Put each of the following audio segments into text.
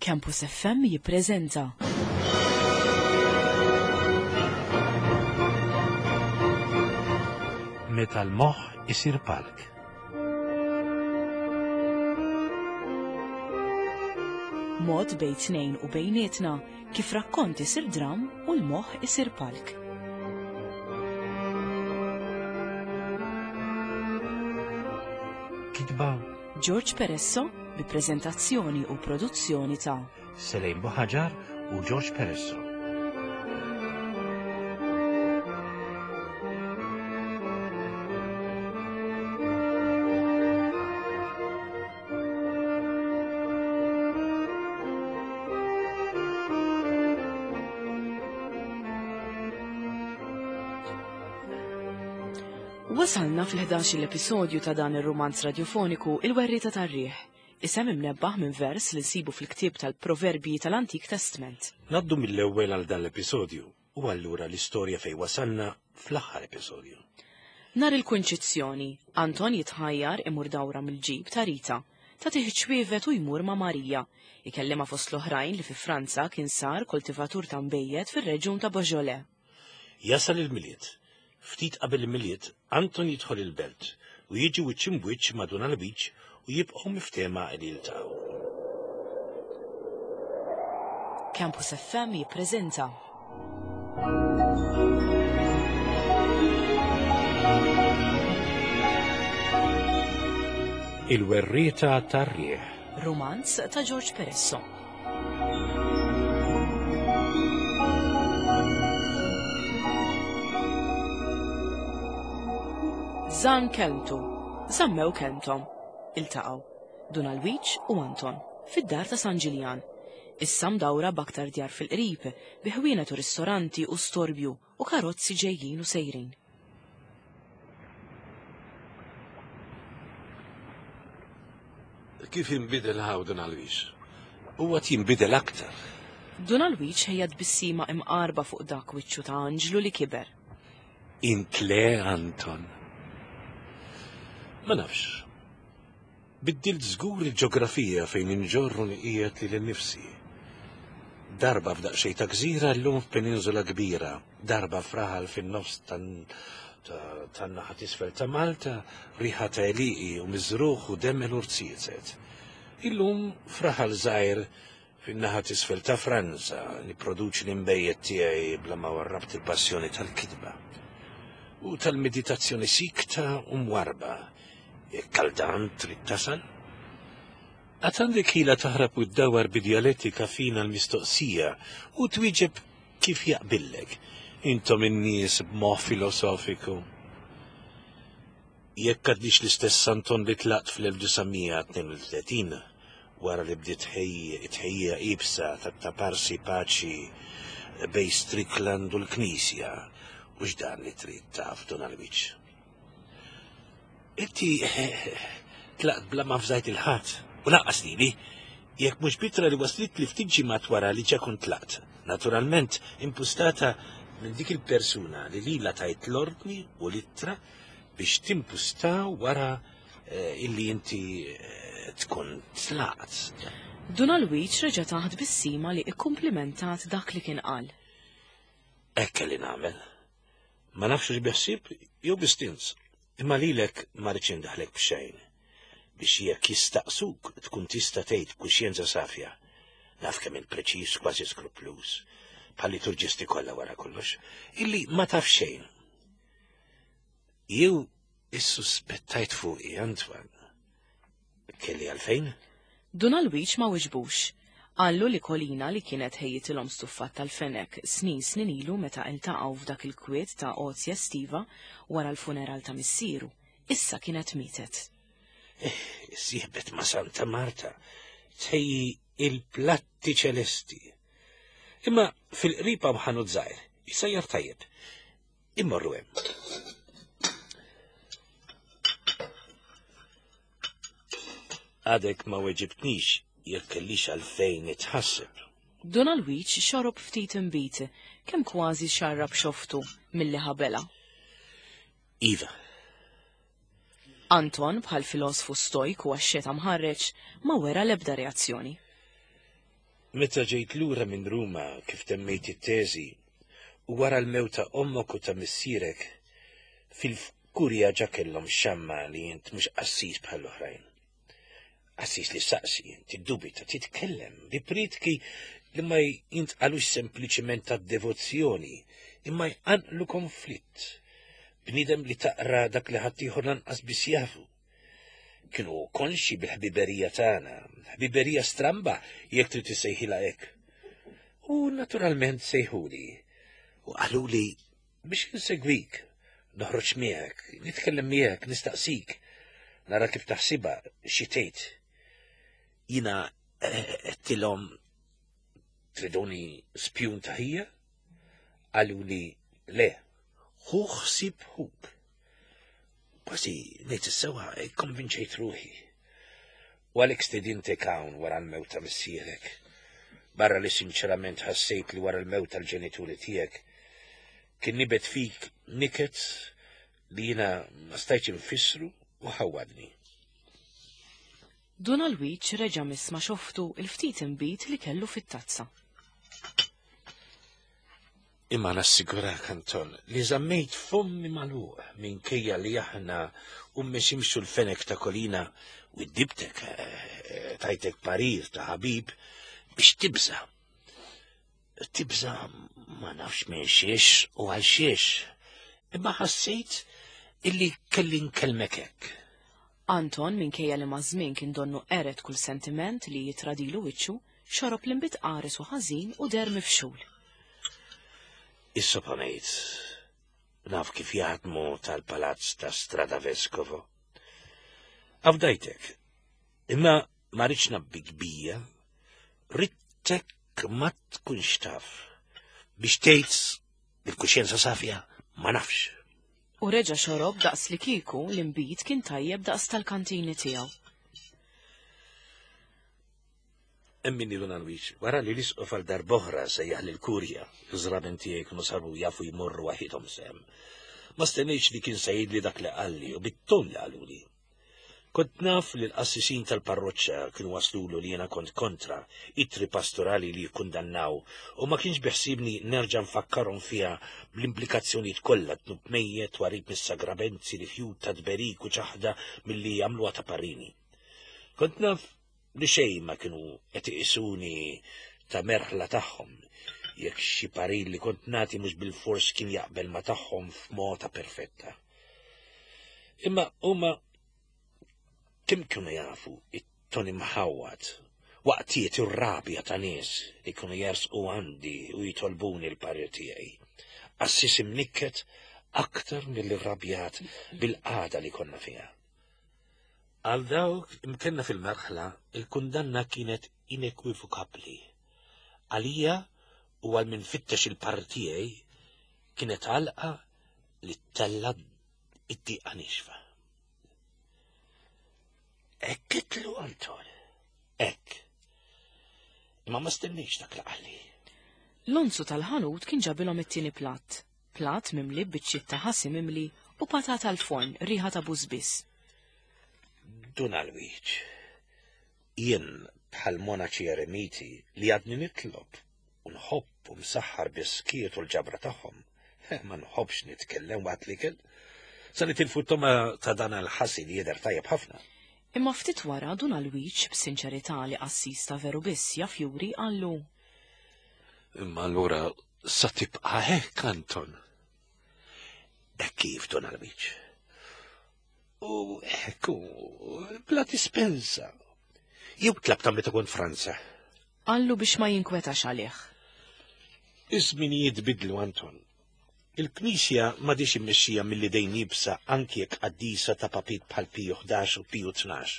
Campus FM jippreżenta. Meta l-moħħ isir palk. Mod bejn tnejn u bejnietna kif rakkont isir dram u l-moħħ isir palk. Kitba George Peresso bi preżentazzjoni u produzzjoni ta' Selejn Buħaġar u George Peresso. Wasalna fl-11 l-episodju ta' dan ir-rumanz radjofoniku Il-Werrieta tar-Riħ, isem imnebbaħ minn vers li nsibu fil-ktieb tal-Proverbji tal-Antik Testment. Ngħaddu mill-ewwel għal dan l-episodju u allura l-istorja fejn wasalna fl-aħħar episodju. Nhar il-Kunċizzjoni, Anton jitħajjar imur dawra mill-ġib ta' Rita, tagħtih iċ-ċwievet u jmur ma' Marija, ikellimha fost l-oħrajn li fi Franza kien sar koltivatur ta' nbejjed fir-reġjun ta' Beaujolais. Jasal il-Milied. Ftit qabel il-Milied, Anton jidħol il-belt u jiġi wiċċ imb'wiċċ ma' Dun Alwiġ u jibqgħu miftehma li jiltaqgħu. Campus FM jippreżenta. Il-Werrieta tar-Riħ. Rumanz ta' George Peresso. Żamm kelmtu, żammew kelmthom. Iltaqgħu, Dun Alwiġ u Anton, fid-dar ta' San Ġiljan. Issa mdawra b'aktar djar fil-qrib, bi ħwienet u ristoranti u storbju u karozzi ġejjin u sejrin. Kif inbidel hawn Dun Alwiġ? U għad jinbidel aktar. Dun Alwiġ ħejja tbissima imqarba fuq dak wiċċu ta' anġlu li kiber. Int le, Anton. Ma nafx. Biddilt żgur il-ġografija fejn inġorr u nqiegħed lili nnifsi. Darba f'daqsxejn ta' gżira llum f'peninsula kbira, darba f'raħal fin-nofs tan-naħa t'isfel ta' Malta, riħa ta' għelieqi u miżrugħ u demel u rziezet. Illum f'raħal żgħir Fin-naħa t'isfel ta' Franza, nipproduċi l-inbejjed tiegħi bla ma warrabt il-passjoni tal-kitba u tal-meditazzjoni sikta u mwarrba. Jekk għal dan trid tasal? Għad għandek ħila taħrab u ddawwar bi djalettika fina l-mistoqsija u twieġeb kif jaqbillek. Intom in-nies b'moħħ filosofiku. Jekk għadnix l-istess Anton li tlaqt fl-1932, wara li bdiet it-tħejjija iebsa tat-taparsi paċi bejn Strickland u l-Knisja, hux dan li trid taf, Dun Alwiġ? Inti tlaqt bla ma fżajt il-ħadd, u lanqas lili, jekk mhux b'ittra li waslitli ftit ġimgħat wara li ġa kont tlaqt, naturalment impustata minn dik il-persuna li lilha tajt l-ordni u l-ittra biex timpusta wara eh, illi inti eh, tkun tlaqt. Dun Alwiġ reġa' tah tbissima li ikkumplimentat dak li kien qal. Hekk kelli nagħmel. Ma nafx hux bi ħsieb jew bi stinz, imma lilek ma rridx indaħlek b'xejn biex jekk jistaqsuk tkun tista' tgħid b'kuxjenza safja. Naf kemm int preċiż kważi skrupluż, bħal liturġisti kollha wara kollox, illi ma taf xejn. Jew issuspettajt fuqi, Antoine. Kelli għalfejn? Dun Alwiġ ma wiġbux. Qallu li Kolina li kienet ħejjitilhom stuffat tal-fenek snin snin ilu meta iltaqgħu f'dak il-kwiet ta' għotja estiva wara l-funeral ta' missieru, issa kienet mietet. Eh, sieħbet ma' Santa Marta, tħejji il-platti ċelesti. Imma fil-qrib hawn ħanut żgħir, jsajjar tajjeb. Immorru hemm. Għadek ma weġibtnix jekk kellix għalfejn nitħasseb. Dun Alwiġ xorob ftit inbid, kemm kważi xarrab xoftu milli ħabela. Iva. Anton, bħal filosfu stojk u axxeta mħarreġ, ma wera l-ebda reazzjoni. Meta ġejt lura minn Ruma kif temmejt it-teżi u wara l-mewt ta' ommok u ta' missierek, fil-kurja ġa kellhom xamma li int mhux qassis bħall-oħrajn. Qassis li saqsi, tiddubita, titkellem bi prietki li ma jintqalux sempliċiment ta' devozzjoni, imma jqanqlu konflitt. Bniedem li taqra dak li ħaddieħor lanqas biss jafu. Kienu konxi bil-ħbiberija tagħna, ħbiberija stramba jekk trid issejħilha hekk. U naturalment sejħuli u qaluli biex insegwik, noħroġ miegħek, nitkellem miegħek, nistaqsik, nara kif taħsibha xi tgħid. Jiena għedtilhom triduni spjun ta' ħija? Qaluli le, ħu ħsieb ħuk. Kważi ngħid is-sewwa ikkonvinċejt ruħi. U għalhekk stedintek hawn wara l-mewt ta' missierek. Barra li sinċerament ħassejt li wara l-mewt tal-ġenituri tiegħek kien nibet fik niket li jiena ma stajtx infissru u ħawwadni. Dun Alwiġ reġa' miss ma' xoftu l-ftit inbid li kellu fit-tazza. Imma nassigurak, Anton, li żammejt fommi magħluq minkejja li aħna u meximxu l-fenek ta' Kolina u dibtek eh, tajtek parir ta' ħabib biex tibża. Tibża ma nafx minn xiex u għal xiex, imma ħassejt illi kelli nkellmek hekk. Anton, minkejja li maż-żmien kien donnu qered kull sentiment li jitradilu wiċċu, xorob l-inbid qares u ħażin u deher mifxul. Issoponejt, naf kif jaħdmu tal-palazz ta' Strada Vescovo. Afdajtek, imma ma rridx nabbik bija, ridtek ma tkunx taf biex tgħid bil-kuxjenza safja ma nafx. U reġa' xorob daqs li kieku l-inbid kien tajjeb daqs tal-kantini tiegħu. Emmini Dun Alwiġ, wara li l-isqof għal darb'oħra sejjaħ lill-kurja, iż-żraben tiegħi kienu saru jafu jmorru waħidhom sehem. Ma stennejtx li kien se jgħidli dak li qalli u bit-ton li qaluli. Kont naf li l-qassisin tal-parroċċa kienu waslulu li jiena kont kontra ittri pastorali li jikkundannaw u ma kienx biħsiebni nerġa' nfakkarhom fiha bl-implikazzjonijiet kollha dnub mejjet, twarrib mis-sagramenzi, rifjut ta' tberik u ċaħda milli jagħmluha ta' parrini. Kont naf li xejn ma kienu qed iqisuni ta' merħla tagħhom jekk xi parir li kont nagħti mhux bilfors kien jaqbel ma' tagħhom f'mota perfetta. Imma huma kemm kienu jafu it-toni mħawwad waqtiet ir-rabja ta' nies li kienu jersqu għandi u jitolbuni l-parir tiegħi. Qassis imnikket aktar milli rrabjat bil-qagħda li konna fiha. Għal dawk imkenna fil-merħla, il-kundanna kienet inekwivokabbli. Għalija u għal min fittex il-parir tiegħi kienet għalqa li ttella' id-diqa nixfa. Hekk itlu Anton, hekk. Imma ma stennejx dak li qalli. L-onzu tal-ħanut kien ġabilhom it-tieni platt, platt mimli b'biċċiet ta' ħasi mimli u patata l-forn riħa ta' bużbiss. Dun Alwiġ, jien bħal monaċi eremiti li għadni nitlob u nħobb u msaħħar bis-skiet u l-ġabra tagħhom. Ma nħobbx nitkellem waqt l-ikel. Sa nitilfu t-toma ta' dan għal-ħasi li jidher tajjeb ħafna. Imma ftit wara Dun Alwiġ b'sinċerità li qassis ta' veru biss jaf juri qallu. Imma allura sa tibqa' hekk, Anton. Hekk kif, Dun Alwiġ. U hekk bla dispensa. Jew tlabta meta kont Franza. Qallu biex ma jinkwetax għalih. Iż-żminijiet bidlu, Anton. Il-Knisja m'għadhiex immexxija mill-idejn iebsa anki jekk qaddisa ta' papiet bħal Piju 11 u Piju 12.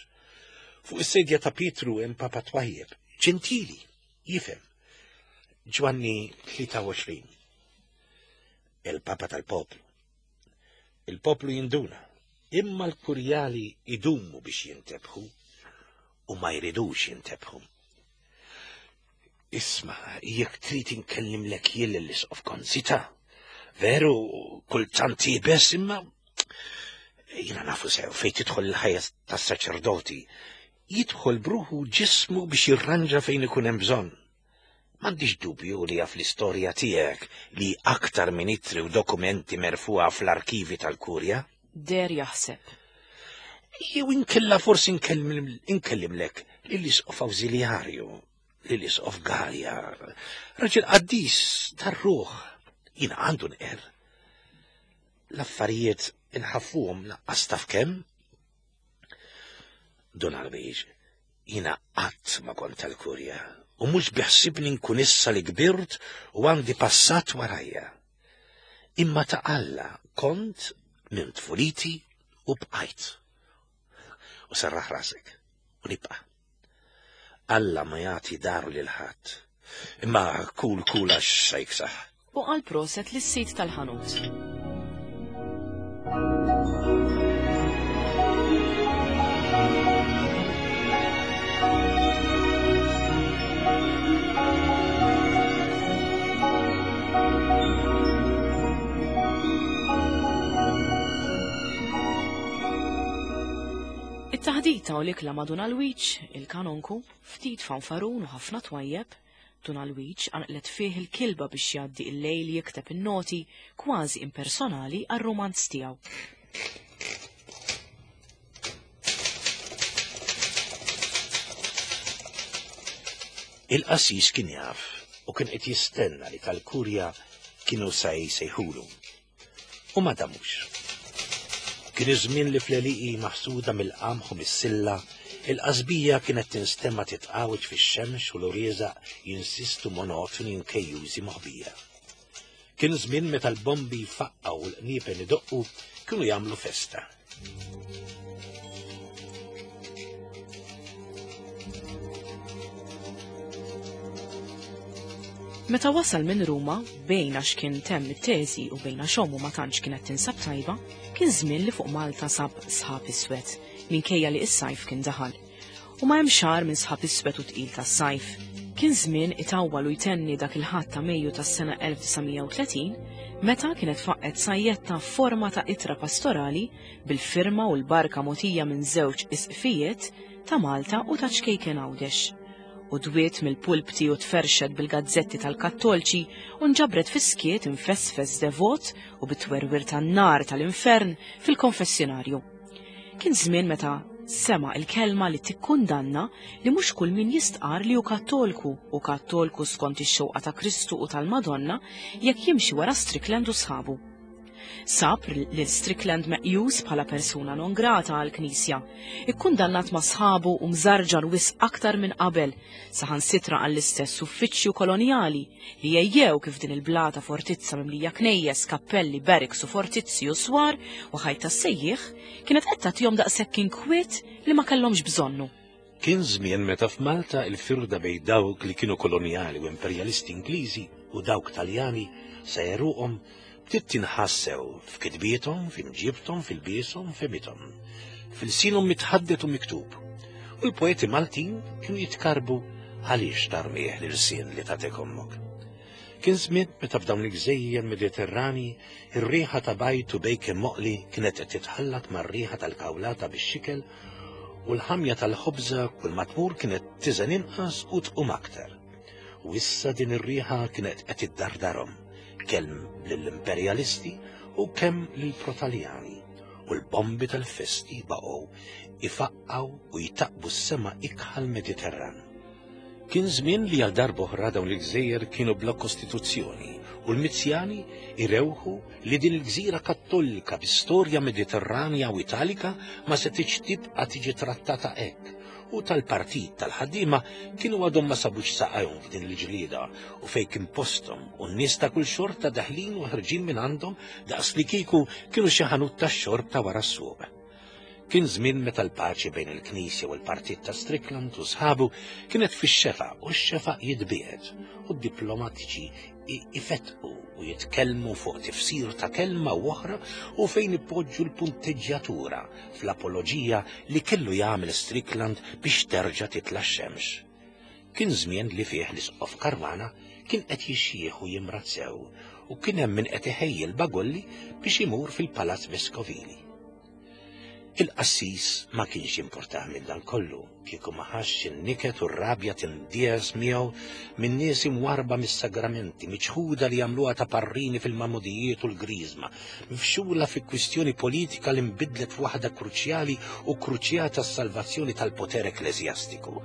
Fuq is-sedja ta' Pietru hemm Papa twajjeb, ġentili, jifhem. Ġwanni 23. Il-Papa tal-poplu. Il-poplu jinduna, imma l-kurjali idumu biex jintebħu u ma jridux jintebħu. Isma, jekk trid inkellimlek jien lill-isqof Konzita. Veru, kultant iebes imma jiena nafu sew fejn tidħol il-ħajja tas-saċerdoti. Jidħol bruħu ġismu biex jirranġa fejn ikun hemm bżonn. M'għandix dubju li jaf l-istorja tiegħek li aktar minn ittri u dokumenti merfugħa fl-arkivi tal-Kurja. Deher jaħseb. Jew inkella forsi nkellimlek lill-Isqof Awżiljarju, lill-Isqof Galea, raġel qaddis tar-ruħ. Jiena għandu nqerr. L-affarijiet inħaffuhom laqqas taf kemm. Dun Alwiġ, jiena qatt ma kont tal-Kurja u mhux biħsibni nkun issa li kbirt u għandi passat warajja. Imma ta' Alla kont minn tfuliti u bqajt. U serraħ rasek u nibqa'. Alla ma jagħti daru lil ħadd. Imma kul kul għax sa jiksaħ. U qal proset lis-sid tal-ħanut. It-taħdita u l-ikla ma' Dun Alwiġ, il-kanonku, ftit fanfarun u ħafna twajjeb, Dun Alwiġ qanqlet fih il-kilba biex jgħaddi il-lejl jikteb in-noti kważi impersonali għar-rumanz tiegħu. Il-qassis kien jaf u kien qed jistenna li tal-kurja kienu sa jsejħulu. U ma damux. Kien iż-żmien li fl-għelieqi maħsuda mill-qamħ u mis-silla, il-qasbija kienet tinstema' titqawweġ fix-xemx u l-urieżaq jinsistu monotoni u kejjużi moħbija. Kien żmien meta l-bombi jfaqqgħu u l-qniepen idoqqu kienu jagħmlu festa. Meta wasal minn Ruma, bejn għax kien temm it-teżi u bejn għax ommu ma tantx kienet tinsab tajba, kien żmien li fuq Malta sab sħab iswed, minkejja li s-sajf kien daħal. U ma hemm xahar minn sħab iswed u tqil tas-sajf. Kien żmien itawwal u jtenni dak il-Ħadd ta' Mejju tas-sena 1930 meta kienet faqqgħet sajjetta f'forma ta' ittra pastorali bil-firma u l-barka mogħtija minn żewġ isqfijiet ta' Malta u ta' ċkejken Għawdex. U dwiet mill-pulpti u tferrxet bil-gazzetti tal-Kattolċi u nġabret fis-skiet imfesfes devot u bit-twerwir tan-nar tal-infern fil-konfessjonarju. Kien żmien meta sema' il-kelma li tikkundanna li mhux kull min jistqarr li hu Kattolku hu Kattolku skont ix-xewqa ta' Kristu u tal-Madonna jekk jimxi wara Strickland u sħabu. Sab lil Strickland meqjus bħala persuna non grata għall-Knisja, ikkundannat ma' sħabu u mżarġar wisq aktar minn qabel, saħansitra għall-istess uffiċċju kolonjali li jgħejjew kif din il-blata fortizza mimlija knejjes, kappelli, barracks u fortizzi u swar u ħajt tas-sejjieħ kienet qed tagħtihom daqshekk inkwiet li ma kellhomx bżonnu. Kien żmien meta f'Malta il-firda bejn dawk li kienu kolonjali u imperjalisti Ingliżi u dawk Taljani sa għeruqhom bdiet tinħass sew f'kitbiethom, f'imġiebthom, f'ilbieshom, f'fehmithom, f'ilsienhom mitħaddet u miktub. U l-poeti Maltin kienu jitkarrbu għaliex tarmih l-ilsien li tatek ommok. Kien żmien meta f'dawn il-gżejjer Mediterranji ir-riħa ta' bajd u bejken moqli kienet qed titħallat mar-riħa tal-kawlata bix-xikel u l-ħamja tal-ħobża kull ma tmur kienet tiżen inqas u tqum aktar. U issa din ir-riħa kienet qed iddardarhom kemm lill-imperjalisti u kemm lill-Protaljani u l-bombi tal-festi baqgħu ifaqqgħu u jtaqqbu s-sema ikħal Mediterran. Kien żmien li għal darb'oħra dawn il-gżejjer kienu bla kostituzzjoni u l-Mizzjani irewħu li din il-gżira Kattolika bi storja Mediterranja u Italika ma setgħetx tibqa' tiġi trattata hekk u tal-partit tal-ħaddiema kienu għadhom ma sabux saqajhom f'din il-ġlieda u fejn kien posthom u n-nies ta' kull xorta daħlin u ħerġin minn għandhom daqs li kieku kienu xi ħanut tax-xorb ta' wara s-suq. Kien żmien meta l-paċi bejn il-Knisja u l-partit ta' Strickland u sħabu kienet fix-xefaq u x-xefaq jitbiegħed u d-diplomatiċi ifettqu u jitkellmu fuq tifsir ta' kelma u oħra u fejn ipoġġu l-punteġġjatura fl-apoloġija li kellu jagħmel Strickland biex terġa' titla' x-xemx. Kien żmien li fih l-Isqof Caruana kien qed jixjieħ u jimrad sew u kien hemm min qed iħejji l-bagolli biex imur fil-Palazz Veskovili. Il-qassis ma kienx jimpurtah minn dan kollu, kieku ma ħassx in-niket u r-rabja tindies miegħu minn nies imwarrba mis-sagramenti, miċħuda li jagħmluha ta' parrini fil-magħmudijiet u l-griżma, mifxula fi kwistjoni politika li nbidlet f'waħda kruċjali u kruċjata għas-salvazzjoni tal-poter ekkleżjastiku.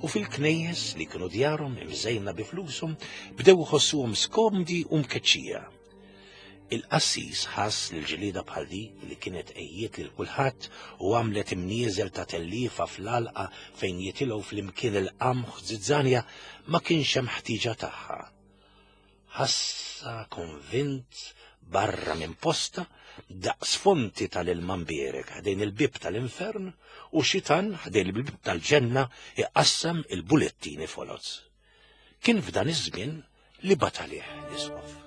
U fil-knejjes li kienu djarhom imżejna bi flushom bdew iħossuhom skomdi u mkeċċija. Il-qassis ħass li l-ġlieda bħal di li kienet għejjiet lil kulħadd u għamlet imnieżel ta' telliefa fl-għalqa fejn jitilgħu flimkien il-qamħ zizzanja ma kienx hemm ħtieġa tagħha. Ħassha konvint barra minn posta daqs fonti tal-ilma mbierek ħdejn il-bieb tal-infern u xitan ħdejn il-bieb tal-ġenna iqassam il-bulettini foloz. Kien f'dan iż-żmien li bagħat għalih l-isqof.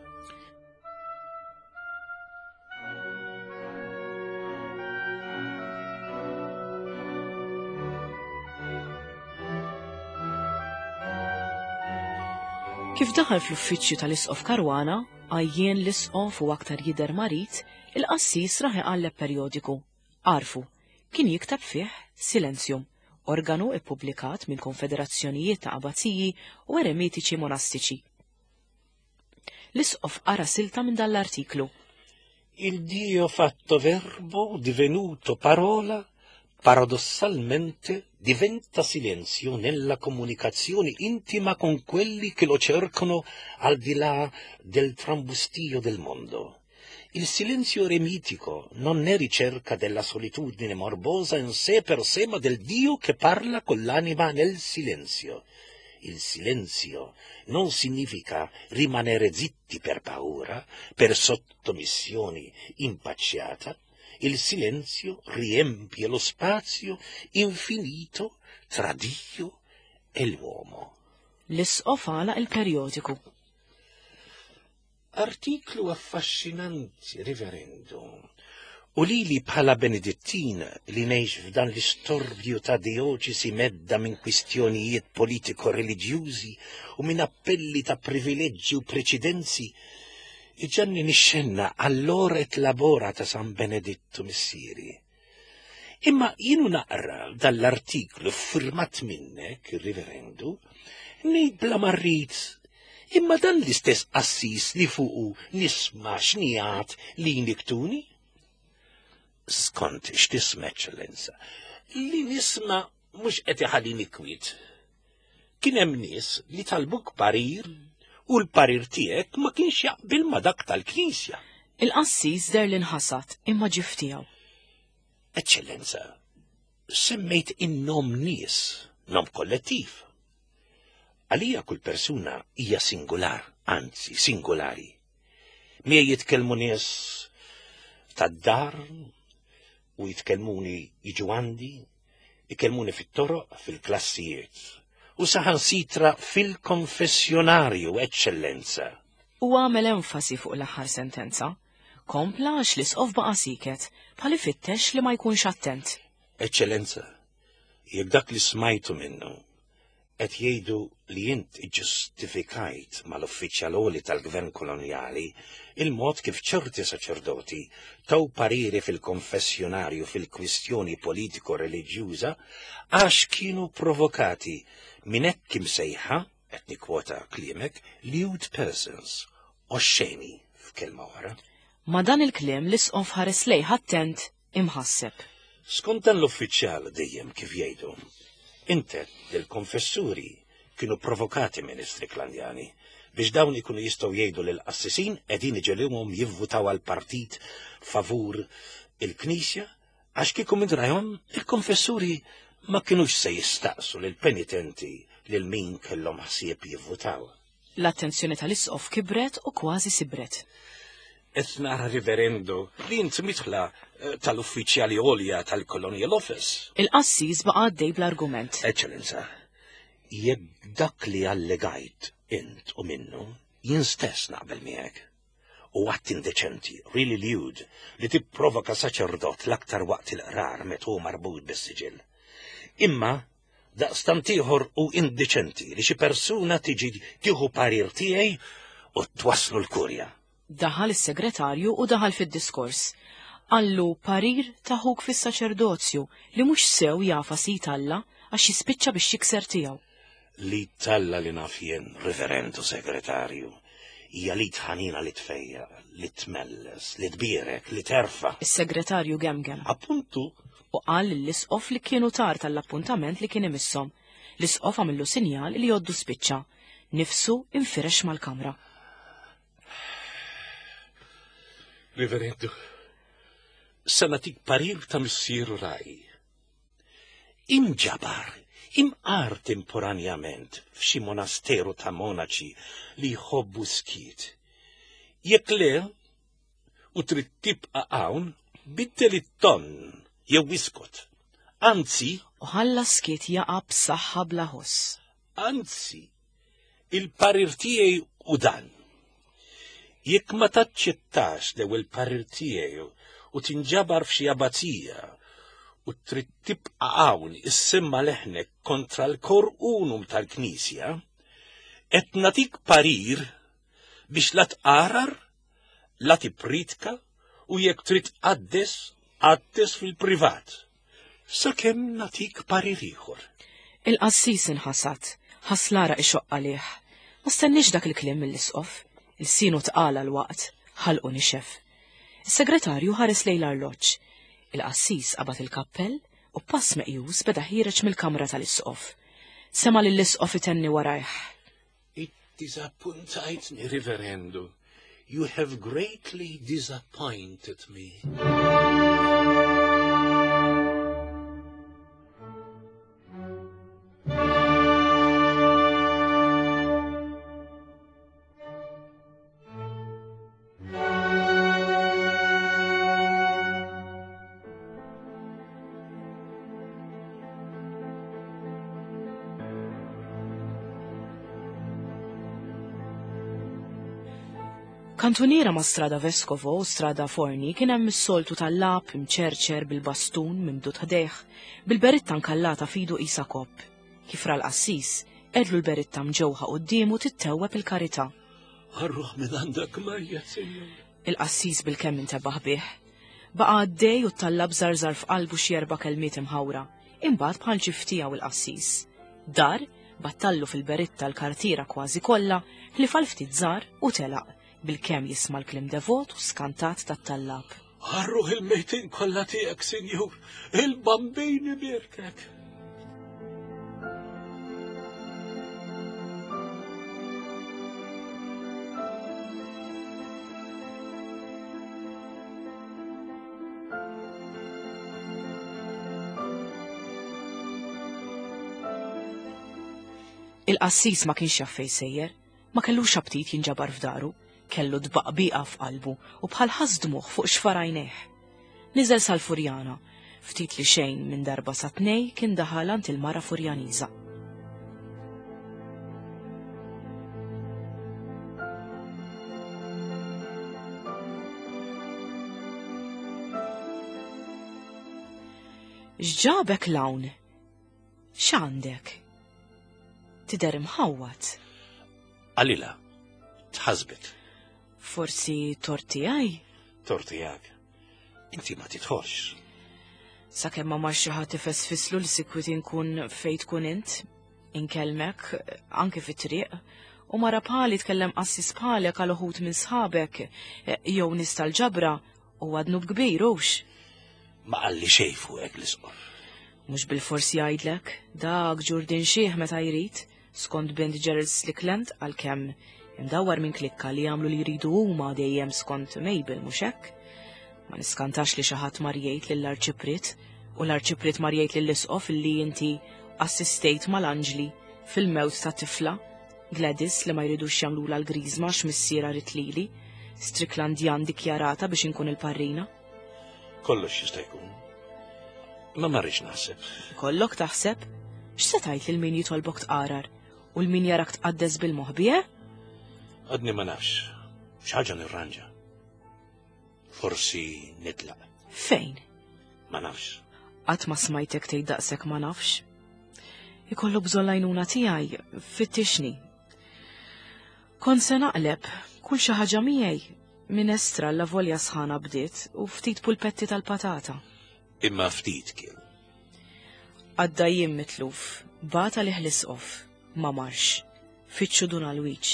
Kif daħal fl-uffiċċju tal-Isqof Caruana, għajjien l-Isqof u aktar jidher marid, il-qassis rah iqalleb perjodiku. Għarfu, kien jikteb fih Silentium, organu ippubblikat minn konfederazzjonijiet ta' abaziji u eremitiċi monastiċi. L-Isqof qara silta minn dan l-artiklu. Il Dio fatto verbo divenuto parola paradossalmente diventa silenzio nella comunicazione intima con quelli che lo cercano al di là del trambustio del mondo. Il silenzio eremitico non è ricerca della solitudine morbosa in sé per sé, ma del Dio che parla con l'anima nel silenzio. Il silenzio non significa rimanere zitti per paura, per sottomissione impacciata. Il silenzio riempie lo spazio infinito tra Dio e l'uomo. L-isqof għalaq il-perjodiku. Artiklu affaxxinanti, Riverendu. U lili bħala Benedittin li ngħix f'dan l-istorbju ta' dioċesi medda minn kwistjonijiet politiko-reliġjużi u minn appelli ta' privileġġi u preċedenzi, iġanni nixxenna għall-ora et labora ta' San Benedittu missieri. Imma jienu naqra dan l-artiklu ffirmat minnek, Riverendu, ngħid bla ma rrid, imma dan l-istess qassis li fuqu nisma' xnigħat li jniktuni? Skont x'tisma', Eċċellenza, li nisma' mhux qed iħallini kwiet. Kien hemm nies li talbuk parir u l-parir tiegħek ma kienx jaqbil ma' dak tal-Knisja. Il-qassis deher li nħasad imma ġie f'tiegħu. Eċċellenza, semmejt in-nom nies, nom kollettiv. Għalija kull persuna hija singular, anzi singolari. Miegħi jitkellmu nies tad-dar u jitkellmuni jiġu għandi, ikellmuni fit-toroq, fil-klassijiet, u saħansitra fil-konfessjonarju, Eċċellenza. Huwa għamel enfasi fuq l-aħħar sentenza. Kompla għax l-Isqof baqa' sieket, bħal ifittex li ma jkunx attent. Eċċellenza, jekk dak li smajtu minnu qed jgħidu li int iġġustifikajt mal-uffiċjal għoli tal-gvern kolonjali il-mod kif ċerti saċerdoti taw pariri fil-konfessjonarju fil-kwistjoni politiko-reliġjuża għax kienu provokati minn hekk imsejħa, qed nikkwota kliemek, lewd persons, oxxeni f'kelma oħra. Ma' dan il-kliem l-Isqof ħares lejh attent imħasseb. Skont dan l-uffiċjal dejjem kif jgħidu, int għedt li l-konfessuri kienu provokati minn Istriklandjani biex dawn ikunu jistgħu jgħidu li l-qassisin qegħdin iġegħluhom jivvutaw għall-partit favur il-Knisja għax kieku minn rajhom il-konfessuri ma kinux se jistaqsu lill-penitenti lil min kellhom ħsieb jivvutaw. L-attenzjoni tal-Isqof kibret u kważi sibret. Qed nara, Riverendo, li int midħla eh, tal-uffiċjali għolja tal-Colonial Office. Il-qassis baqa' għaddej bl-argument. Eċċellenza, jekk dak li allegajt int u minnu, jien stess naqbel miegħek. U att indeċenti, really lewd, li tipprovoka saċerdot l-aktar waqt il-qrar meta hu marbut bis-siġill. Imma Daqstant ieħor hu indiċenti li xi persuna tiġi tieħu parir tiegħi u twasslu l-kurja. Daħal is-segretarju u daħal fid-diskors. Qallu parir ta' ħuk fis-saċerdozju li mhux sew jagħfas id Alla għax jispiċċa biex jikser tiegħu. L-id t'Alla li naf jien, Riverendu Segretarju, hija l-id ħanina li tfejjaq, li tmelles, li tbierek, li terfa'. Is-segretarju gemgem. Appuntu! U qal lill-isqof li kienu tard għall-appuntament li kien imisshom. L-isqof għamillu sinjal li jgħoddu spiċċa. Nifsu infirex mal-kamra. Reverendu, se nagħtik parir ta' missieru raj. Inġabar, imqar temporanjament f'xi monasteru ta' monaċi li jħobbu skiet. Jekk le, u trid tibqa' hawn, biddel it-ton jew iskot. Anzi, U ħalla s-skiet jaqa' b'saħħa bla ħoss. Anzi, il-parir tiegħi hu dan. Jekk ma taċċettax l-ewwel parir tiegħi u tinġabar f'xi abbazija u trid tibqa' hawn issemma' leħnek kontra l-kor unum tal-Knisja, qed nagħtik parir biex la tqarar, la tippriedka u jekk trid tqaddes, qaddes fil-privat. Sakemm nagħtik parir ieħor. Il-qassis inħasad, ħass l-għaraq ixoqq għalih. Ma stenniex dak il-kliem mill-isqof. Ilsienu tqal għal waqt, ħalqu nixef. Is-segretarju ħares lejn l-arloġġ. Il-qassis qabad il-kappell u b'pass meqjus beda ħiereġ mill-kamra tal-isqof. Sema' lill-isqof itenni warajh. Iddiżappuntajtni, Riverendu. You have greatly disappointed me. Kantuniera ma' Strada Vescovo u Strada Forni kien hemm is-soltu tal-lab imċerċer bil-bastun mimdud ħdejh, bil-beritta nkallata fidu qisha kopp. Kif ra l-qassis, qegħdlu l-beritta mġewħa quddiemu tittewweb il-karità. Għarruħ minn għandek mejjet, Sinjur. Il-qassis bilkemm intebaħ bih. Baqa' għaddej u t-tallab żarżar f'qalbu xi erba' kelmiet imħawra. Imbagħad bħal ġief tiegħu il-qassis. Dar, battallu fil-beritta l-kartiera kważi kollha, ħlief għal ftit żgħar u telaq, bilkemm jisma' l-kliem devot u skantat tat-tallab. Għarruħ il-mejtin kollha tiegħek, Sinjur, il-Bambin ibierkek. Il-qassis ma kienx jaf fejn sejjer, ma kellux aptit jinġabar f'daru, kellu tbaqbiqa f'qalbu u bħal ħass dmugħ fuq xfar għajnejh. Niżel sal-Furjana. Ftit li xejn minn darba sa tnej kien daħal għand il-mara Furjaniża. X'ġabek 'l hawn? X'għandek? Tidher imħawwad. Qalilha, tħassbet. Forsi tort tiegħi? Tort tiegħek. Inti ma tidħolx. Sakemm ma marx xi ħadd ifesfislu li sikwit inkun fejn tkun int, inkellmek, anke fit-triq, u mara bħali tkellem qassis bħalek għal uħud minn sħabek eh, jew nies tal-ġabra huwa dnub kbir hux. Ma qalli xejn fuqek l-isqof. Mhux bilfors jgħidlek, dak ġurdin xih meta jrid, skont bint Gerald Slickland għalkemm imdawwar minn klikka li jagħmlu li jridu huma dejjem skont Mabel mhux hekk? Ma niskantax li xi ħadd mar jgħid lill-Arċipriet u l-Arċipriet mar jgħid lill-Isqof li inti assistejt mal-anġli fil-mewt ta' tifla Gladys li ma jridux jagħmlulha l-griżma għax missierha ried lili, Stricklandjan dikjarata biex inkun il-parrina. Kollox jista' jkun. Imma ma rridx naħseb. Ikollok taħseb? X'se tgħid lil min jitolbok tqarar u l min jarak tqaddes bil-moħbi, eh? Għadni ma nafx. Xi ħaġa nirranġa. Forsi nitlaq. Fejn? Ma nafx. Qatt ma smajtek tgħid daqshekk ma nafx. Ikollok bżonn l-għajnuna tiegħi, fittixni. Kont se naqleb kull xi ħaġa miegħi. Minestra la volja sħana bdiet u ftit pulpetti tal-patata. Imma ftit kien. Għadda jiem mitluf, bata li l-isqof, ma marx. Fittxu Dun Alwiġ.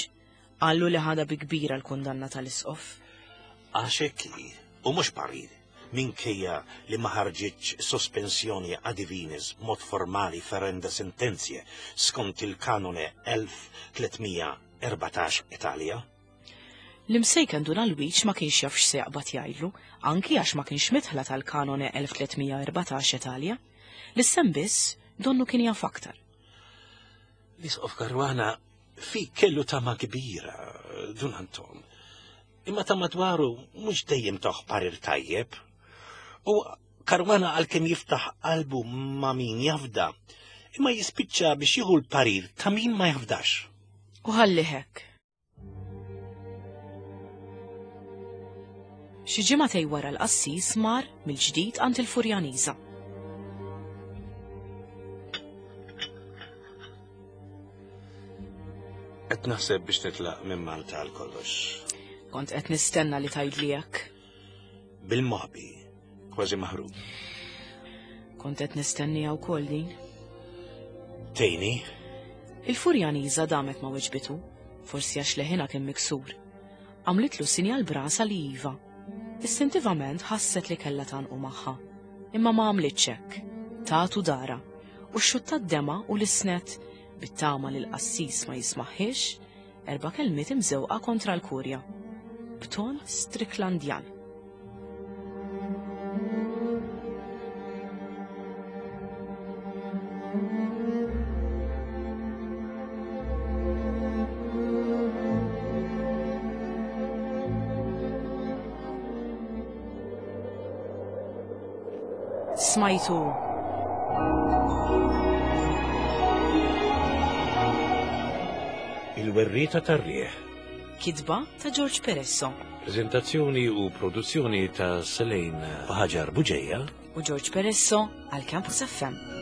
Qallu li ħadha bi kbira l-kundanna tal-isqof. Għax hekk hi, u mhux parir, minkejja li ma ħarġitx sospensjoni a divinis b'mod formali ferenda sententiae skont il-Canone 1314 et alia. L-imsejken Dun Alwiġ ma kienx jaf x'se jaqbad jgħidlu, anki għax ma kienx midħla tal-Canone 1314 et alia. L-isem biss donnu kien jaf aktar. L-Isqof Caruana fik kellu tama kbira, Dun Anton. Imma ta' madwaru mhux dejjem tawh parir tajjeb. U Caruana għalkemm jiftaħ qalbu ma' min jafda, imma jispiċċa biex jieħu l-parir ta' min ma jafdax. U ħallih hekk. Xi ġimagħtej wara l-qassis mar mill-ġdid għand il-Furjaniża. Qed naħseb biex nitlaq minn Malta għal kollox. Kont qed nistenna li tgħidli hekk. Bil-moħbi, kważi maħrub. Kont qed nistennija wkoll din. Tejni? Il-Furjaniża damet ma weġbitu, forsi għax leħinha kien miksur. Għamlitlu sinjal b'rasha li iva. Istintivament ħasset li kellha tgħannqu magħha. Imma ma għamlitx hekk. Tatu dara u xxuttat demgħa u lissnet, bit-tama li l-qassis ma jismagħhiex, erba' kelmiet imżewqa kontra l-kurja. B'ton Stricklandjan. Smajtu Il-werrieta tar-riħ. Kitba ta' George Peresso. Prezentazzjoni u produzzjoni ta' Selene Ħaġar Buġeja u George Peresso għal Campus FM.